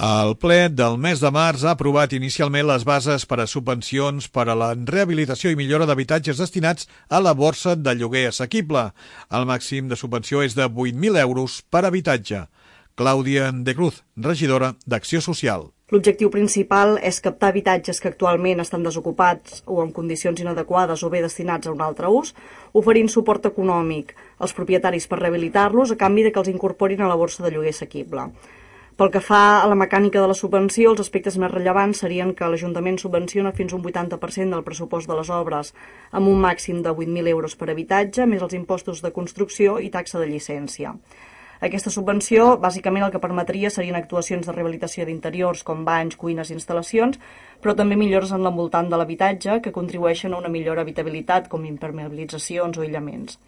El ple del mes de març ha aprovat inicialment les bases per a subvencions per a la rehabilitació i millora d'habitatges destinats a la borsa de lloguer assequible. El màxim de subvenció és de 8.000 euros per habitatge. Clàudia de Cruz, regidora d'Acció Social. L'objectiu principal és captar habitatges que actualment estan desocupats o en condicions inadequades o bé destinats a un altre ús, oferint suport econòmic als propietaris per rehabilitar-los a canvi de que els incorporin a la borsa de lloguer assequible. Pel que fa a la mecànica de la subvenció, els aspectes més rellevants serien que l'Ajuntament subvenciona fins un 80% del pressupost de les obres amb un màxim de 8.000 euros per habitatge, més els impostos de construcció i taxa de llicència. Aquesta subvenció, bàsicament el que permetria serien actuacions de rehabilitació d'interiors com banys, cuines i instal·lacions, però també millores en l'envoltant de l'habitatge que contribueixen a una millor habitabilitat com impermeabilitzacions o aïllaments.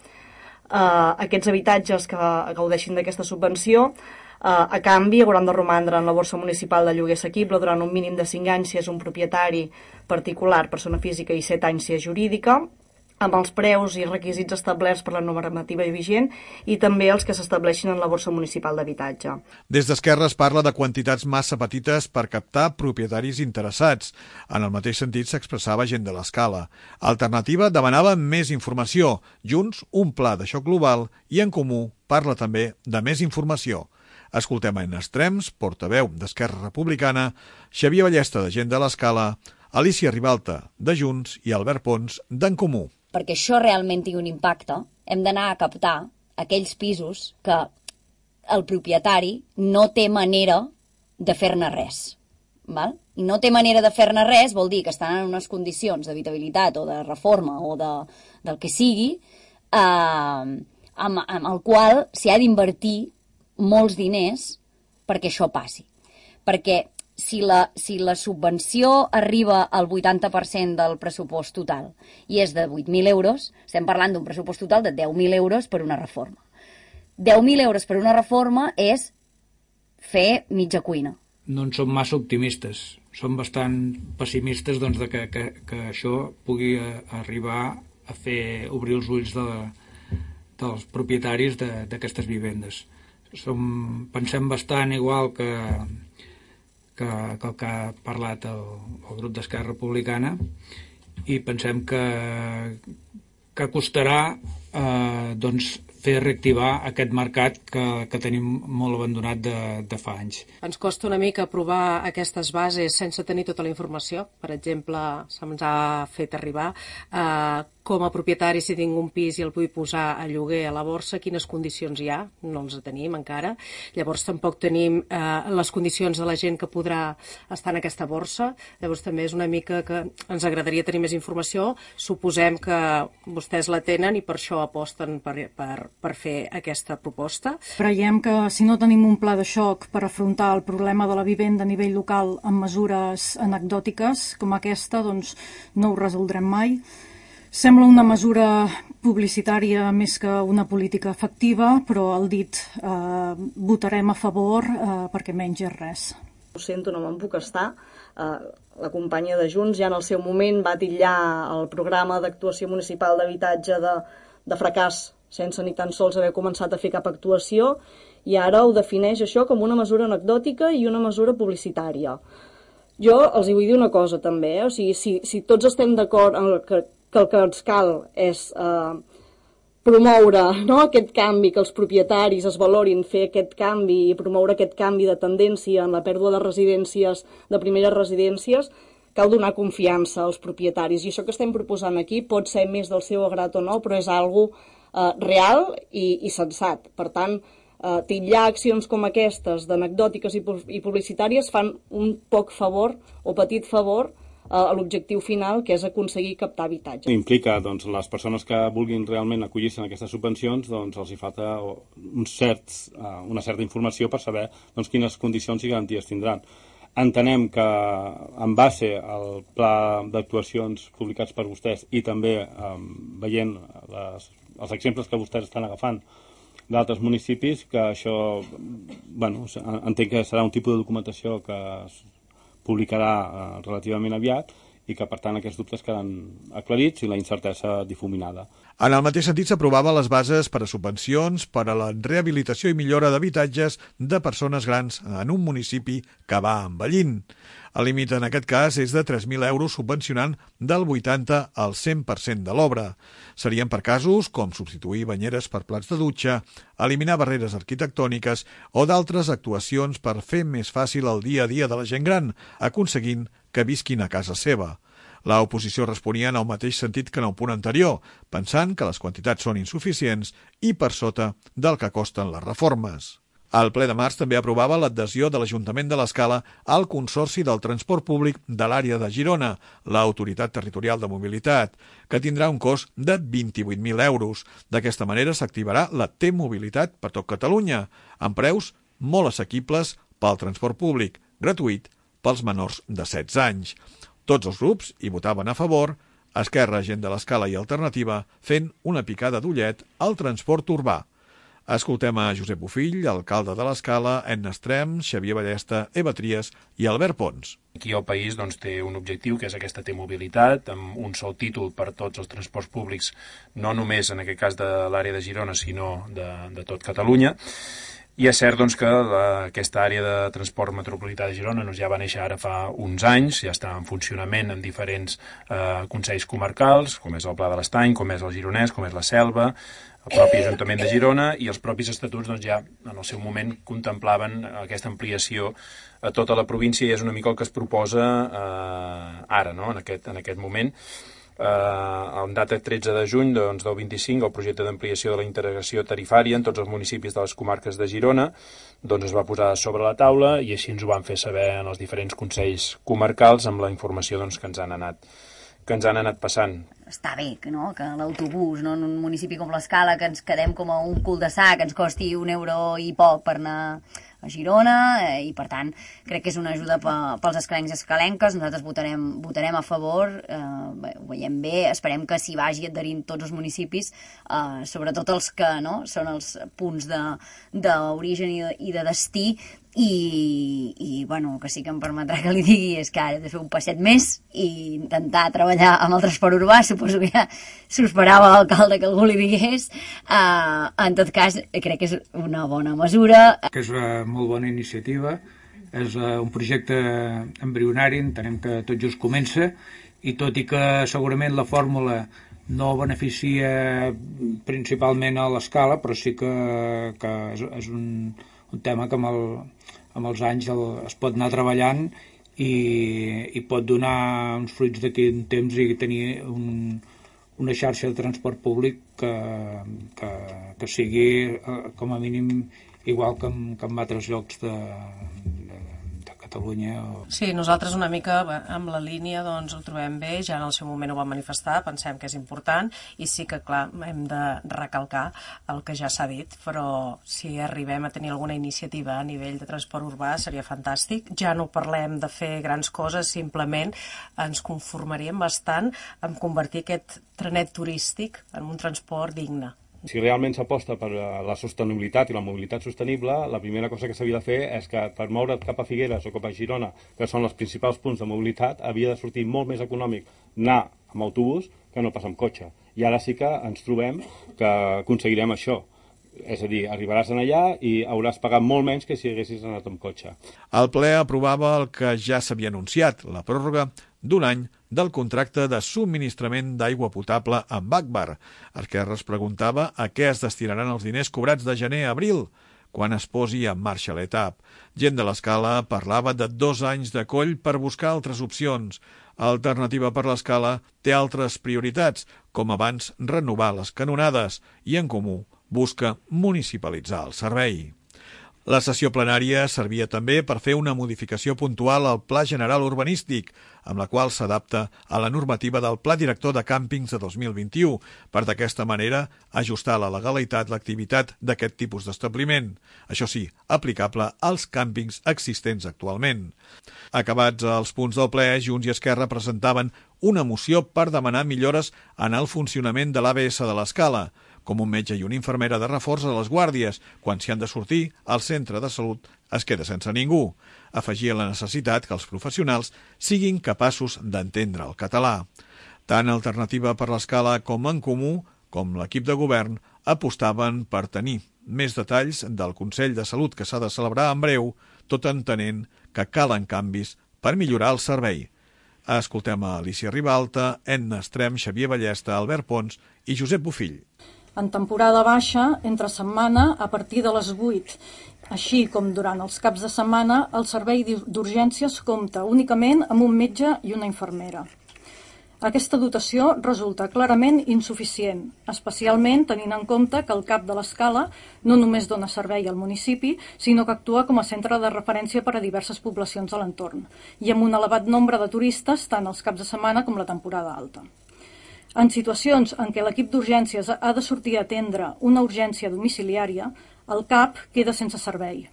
Aquests habitatges que gaudeixin d'aquesta subvenció a canvi hauran de romandre en la borsa municipal de lloguer assequible durant un mínim de 5 anys si és un propietari particular, persona física, i 7 anys si és jurídica, amb els preus i requisits establerts per la normativa vigent i també els que s'estableixin en la borsa municipal d'habitatge. Des d'Esquerra es parla de quantitats massa petites per captar propietaris interessats. En el mateix sentit s'expressava gent de l'Escala. Alternativa demanava més informació. Junts, un pla de xoc global i En Comú parla també de més informació. Escoltem en extrems, portaveu d'Esquerra Republicana, Xavier Ballesta, de Gent de l'Escala, Alicia Ribalta, de Junts, i Albert Pons, d'En Comú. Perquè això realment tingui un impacte, hem d'anar a captar aquells pisos que el propietari no té manera de fer-ne res. Val? I no té manera de fer-ne res vol dir que estan en unes condicions d'habitabilitat o de reforma o del que sigui, amb el qual s'hi ha d'invertir molts diners perquè això passi. Perquè si la subvenció arriba al 80% del pressupost total i és de 8.000 euros, estem parlant d'un pressupost total de 10.000 euros per una reforma. 10.000 euros per una reforma és fer mitja cuina. No en som massa optimistes. Som bastant pessimistes de que això pugui arribar a fer obrir els ulls dels propietaris d'aquestes vivendes. Pensem bastant igual que el que ha parlat el grup d'Esquerra Republicana i pensem que costarà fer reactivar aquest mercat que tenim molt abandonat de fa anys. Ens costa una mica aprovar aquestes bases sense tenir tota la informació. Per exemple, se'ns ha fet arribar com a propietari, si tinc un pis i el vull posar a lloguer a la borsa, quines condicions hi ha, no els tenim encara. Llavors tampoc tenim les condicions de la gent que podrà estar en aquesta borsa. Llavors també és una mica que ens agradaria tenir més informació. Suposem que vostès la tenen i per això aposten per fer aquesta proposta. Creiem que si no tenim un pla de xoc per afrontar el problema de la vivenda a nivell local amb mesures anecdòtiques com aquesta, doncs no ho resoldrem mai. Sembla una mesura publicitària més que una política efectiva, però el dit votarem a favor perquè menys és res. Ho sento, no me'n puc estar. La companya de Junts ja en el seu moment va titllar el programa d'actuació municipal d'habitatge de fracàs sense ni tan sols haver començat a fer cap actuació i ara ho defineix això com una mesura anecdòtica i una mesura publicitària. Jo els hi vull dir una cosa també, o sigui, si tots estem d'acord en que el que ens cal és promoure aquest canvi, que els propietaris es valorin fer aquest canvi i promoure aquest canvi de tendència en la pèrdua de residències, de primeres residències, cal donar confiança als propietaris. I això que estem proposant aquí pot ser més del seu agrat o no, però és algo real i sensat. Per tant, titllar accions com aquestes d'anecdòtiques i publicitàries fan un poc favor o petit favor a l'objectiu final, que és aconseguir captar habitatge. Implica, les persones que vulguin realment acollir-se en aquestes subvencions, els hi falta una certa informació per saber quines condicions i garanties tindran. Entenem que, en base al pla d'actuacions publicats per vostès i també veient els exemples que vostès estan agafant d'altres municipis, que això, entenc que serà un tipus de documentació que es publicarà relativament aviat i que, per tant, aquests dubtes queden aclarits i la incertesa difuminada. En el mateix sentit, s'aprovaven les bases per a subvencions per a la rehabilitació i millora d'habitatges de persones grans en un municipi que va envellint. El límit en aquest cas és de 3.000 euros subvencionant del 80 al 100% de l'obra. Serien per casos com substituir banyeres per plats de dutxa, eliminar barreres arquitectòniques o d'altres actuacions per fer més fàcil el dia a dia de la gent gran, aconseguint que visquin a casa seva. L'oposició responia en el mateix sentit que en el punt anterior, pensant que les quantitats són insuficients i per sota del que costen les reformes. El ple de març també aprovava l'adhesió de l'Ajuntament de l'Escala al Consorci del Transport Públic de l'àrea de Girona, l'Autoritat Territorial de Mobilitat, que tindrà un cost de 28.000 euros. D'aquesta manera s'activarà la T-Mobilitat per tot Catalunya, amb preus molt assequibles pel transport públic, gratuït pels menors de 16 anys. Tots els grups hi votaven a favor, Esquerra, Gent de l'Escala i Alternativa, fent una picada d'ullet al transport urbà. Escoltem a Josep Bofill, alcalde de l'Escala, Edna Estrem, Xavier Ballesta, Eva Trias i Albert Pons. Aquí el país té un objectiu, que és aquesta T-Mobilitat, amb un sol títol per tots els transports públics, no només en aquest cas de l'àrea de Girona, sinó de tot Catalunya. I és cert que aquesta àrea de transport metropolità de Girona ja va néixer ara fa uns anys, ja està en funcionament en diferents consells comarcals, com és el Pla de l'Estany, com és el Gironès, com és la Selva, el propi Ajuntament de Girona, i els propis estatuts ja en el seu moment contemplaven aquesta ampliació a tota la província, i és una mica el que es proposa ara, en aquest moment. En data 13 de juny del 25, el projecte d'ampliació de la integració tarifària en tots els municipis de les comarques de Girona es va posar sobre la taula, i així ens ho van fer saber en els diferents consells comarcals amb la informació que ens han anat passant. Està bé que l'autobús, en un municipi com l'Escala, que ens quedem com a un cul de sac, ens costi €1 i poc per anar a Girona, i per tant crec que és una ajuda pels escalencs i escalenques. Nosaltres votarem a favor, ho veiem bé, esperem que s'hi vagi adherint tots els municipis, sobretot els que són els punts d'origen i de destí, i que sí que em permetrà que li digui és que ara he de fer un passet més i intentar treballar amb el transport urbà. Suposo que ja s'ho esperava l'alcalde que algú li digués. En tot cas, crec que és una bona mesura. Que és una molt bona iniciativa, és un projecte embrionari, entenem que tot just comença, i tot i que segurament la fórmula no beneficia principalment a l'Escala, però sí que és un tema que amb els anys es pot anar treballant i pot donar uns fruits d'aquí un temps i tenir una xarxa de transport públic que sigui com a mínim igual que en altres llocs de Catalunya. Sí, nosaltres una mica amb la línia ho trobem bé, ja en el seu moment ho vam manifestar, pensem que és important, i sí que, clar, hem de recalcar el que ja s'ha dit, però si arribem a tenir alguna iniciativa a nivell de transport urbà seria fantàstic. Ja no parlem de fer grans coses, simplement ens conformaríem bastant en convertir aquest trenet turístic en un transport digne. Si realment s'aposta per la sostenibilitat i la mobilitat sostenible, la primera cosa que s'havia de fer és que per moure't cap a Figueres o cap a Girona, que són els principals punts de mobilitat, havia de sortir molt més econòmic anar amb autobús que no pas amb cotxe. I ara sí que ens trobem que aconseguirem això. És a dir, arribaràs allà i hauràs pagat molt menys que si haguessis anat amb cotxe. El ple aprovava el que ja s'havia anunciat, la pròrroga d'un any del contracte de subministrament d'aigua potable amb Agbar. Esquerra es preguntava a què es destinaran els diners cobrats de gener a abril, quan es posi en marxa l'ETAP. Gent de l'Escala parlava de 2 anys de coll per buscar altres opcions. Alternativa per l'Escala té altres prioritats, com abans renovar les canonades, i En Comú busca municipalitzar el servei. La sessió plenària servia també per fer una modificació puntual al Pla General Urbanístic, amb la qual s'adapta a la normativa del Pla Director de Càmpings de 2021, per d'aquesta manera ajustar a la legalitat l'activitat d'aquest tipus d'establiment, això sí, aplicable als càmpings existents actualment. Acabats els punts del ple, Junts i Esquerra presentaven una moció per demanar millores en el funcionament de l'ABS de l'Escala. com un metge i una infermera de reforç a les guàrdies. Quan s'hi han de sortir, el centre de salut es queda sense ningú. Afegia la necessitat que els professionals siguin capaços d'entendre el català. Tant Alternativa per l'Escala com En Comú, com l'equip de govern, apostaven per tenir més detalls del Consell de Salut que s'ha de celebrar en breu, tot entenent que calen canvis per millorar el servei. Escoltem a Alicia Ribalta, Edna Estrem, Xavier Ballesta, Albert Pons i Josep Bofill. En temporada baixa, entre setmana, a partir de les 8, així com durant els caps de setmana, el servei d'urgències compta únicament amb un metge i una infermera. Aquesta dotació resulta clarament insuficient, especialment tenint en compte que el CAP de l'Escala no només dona servei al municipi, sinó que actua com a centre de referència per a diverses poblacions de l'entorn, i amb un elevat nombre de turistes tant els caps de setmana com la temporada alta. En situacions en què l'equip d'urgències ha de sortir a atendre una urgència domiciliària, el CAP queda sense servei,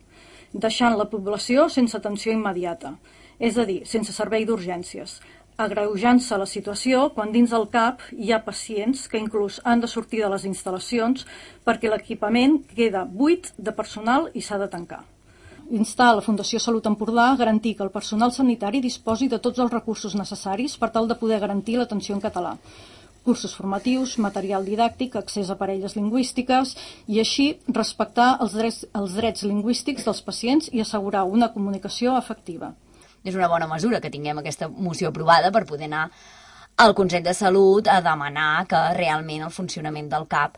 deixant la població sense atenció immediata, és a dir, sense servei d'urgències, agreujant-se la situació quan dins del CAP hi ha pacients que inclús han de sortir de les instal·lacions perquè l'equipament queda buit de personal i s'ha de tancar. Instar la Fundació Salut Empordà a garantir que el personal sanitari disposi de tots els recursos necessaris per tal de poder garantir l'atenció en català. Cursos formatius, material didàctic, accés a parelles lingüístiques i així respectar els drets lingüístics dels pacients i assegurar una comunicació efectiva. És una bona mesura que tinguem aquesta moció aprovada per poder anar al Consell de Salut a demanar que realment el funcionament del CAP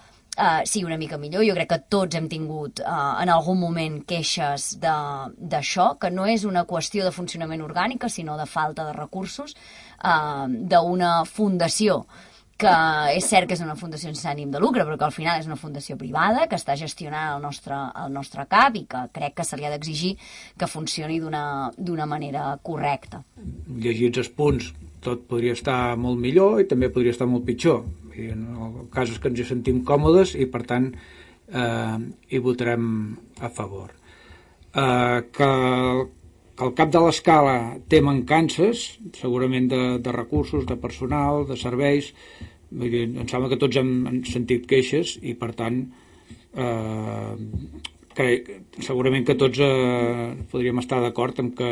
sigui una mica millor. Jo crec que tots hem tingut en algun moment queixes d'això, que no és una qüestió de funcionament orgànica, sinó de falta de recursos d'una fundació que és cert que és una fundació sense ànim de lucre, però que al final és una fundació privada que està gestionant el nostre CAP i que crec que se li ha d'exigir que funcioni d'una manera correcta. Llegits els punts, tot podria estar molt millor i també podria estar molt pitjor. I en el cas és que ens hi sentim còmodes i, per tant, hi votarem a favor. Que el CAP de l'Escala té mancances, segurament de recursos, de personal, de serveis. Em sembla que tots hem sentit queixes i, per tant, segurament que tots podríem estar d'acord en que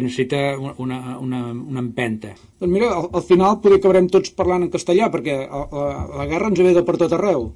necessita una empenta. Doncs mira, al final potser acabarem tots parlant en castellà, perquè la guerra ens ve de per tot arreu.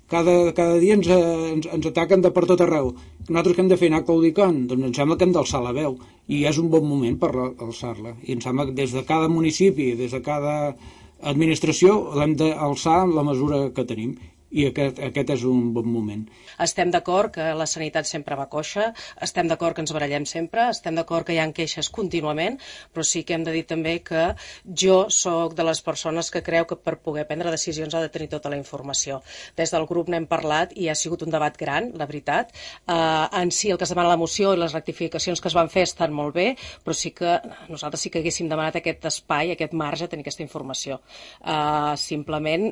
Cada dia ens ataquen de per tot arreu. Nosaltres què hem de fer? Anar claudicant? Doncs em sembla que hem d'alçar la veu, i és un bon moment per alçar-la. I em sembla que des de cada municipi, des de cada administració, l'hem d'alçar en la mesura que tenim. I aquest és un bon moment. Estem d'acord que la sanitat sempre va coixa, estem d'acord que ens barallem sempre, estem d'acord que hi ha queixes contínuament, però sí que hem de dir també que jo sóc de les persones que creu que per poder prendre decisions ha de tenir tota la informació. Des del grup n'hem parlat i ha sigut un debat gran, la veritat. En si el que es demana la moció i les rectificacions que es van fer estan molt bé, però sí que nosaltres sí que haguéssim demanat aquest espai, aquest marge, tenir aquesta informació. Simplement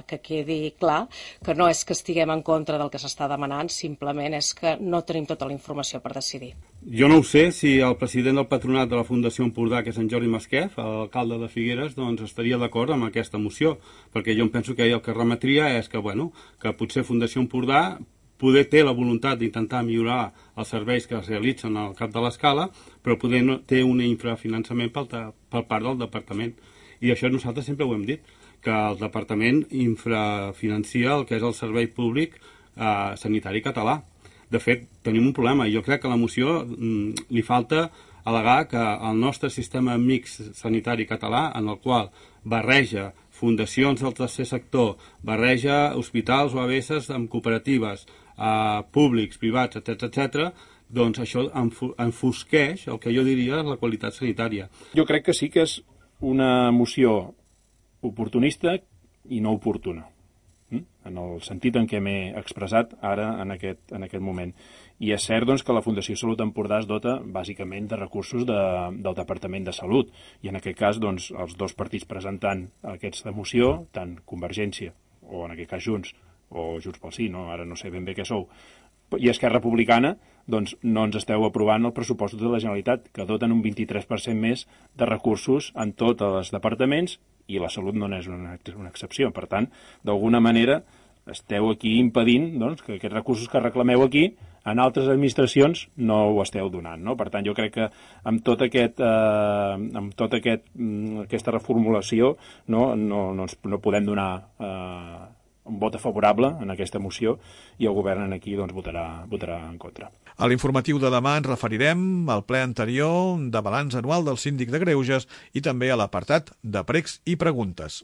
que quedi clar que no és que estiguem en contra del que s'està demanant, simplement és que no tenim tota la informació per decidir. Jo no ho sé si el president del patronat de la Fundació Empordà, que és en Jordi Masquef, l'alcalde de Figueres, doncs estaria d'acord amb aquesta moció, perquè jo em penso que el que remetria és que, que potser Fundació Empordà poder té la voluntat d'intentar millorar els serveis que es realitzen al CAP de l'Escala, però poder no té un infrafinançament per part del departament. I això nosaltres sempre ho hem dit, que el departament infrafinancia el que és el servei públic sanitari català. De fet, tenim un problema. Jo crec que a la moció li falta al·legar que el nostre sistema mixt sanitari català, en el qual barreja fundacions del tercer sector, barreja hospitals o ABS amb cooperatives, públics, privats, etc., doncs això enfosqueix el que jo diria la qualitat sanitària. Jo crec que sí que és una moció oportunista i no oportuna, en el sentit en què m'he expressat ara en aquest moment. I és cert doncs, que la Fundació Salut Empordà es dota bàsicament de recursos del Departament de Salut, i en aquest cas doncs, els dos partits presentant aquesta moció, tant Convergència, o en aquest cas Junts, o Junts pel Sí, ara no sé ben bé què sou, i Esquerra Republicana, doncs no ens esteu aprovant el pressupost de la Generalitat, que doten un 23% més de recursos en tots els departaments, i la salut no n'és una excepció. Per tant, d'alguna manera, esteu aquí impedint doncs, que aquests recursos que reclameu aquí en altres administracions no ho esteu donant, no? Per tant, jo crec que amb aquesta reformulació no podem donar un vot favorable en aquesta moció i el govern aquí doncs, votarà en contra. A l'informatiu de demà ens referirem al ple anterior de balanç anual del Síndic de Greuges i també a l'apartat de pregs i preguntes.